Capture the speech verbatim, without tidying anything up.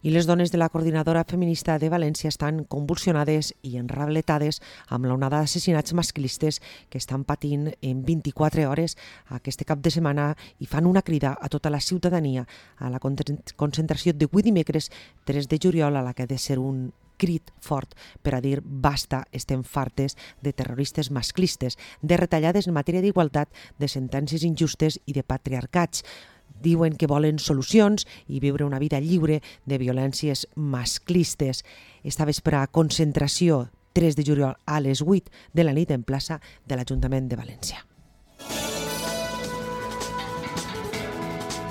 I les dones de la Coordinadora Feminista de València estan convulsionades i enrabletades amb l'onada d'assassinats masclistes que estan patint en vint-i-quatre hores aquest cap de setmana i fan una crida a tota la ciutadania a la concentració d'avui dimecres tres de juliol, a la que ha de ser un crit fort per a dir basta, estem fartes de terroristes masclistes, de retallades en matèria d'igualtat, de sentències injustes i de patriarcats. Diuen que volen solucions i viure una vida lliure de violències masclistes. Esta vespre concentració tres de juliol a les vuit de la nit en plaça de l'Ajuntament de València.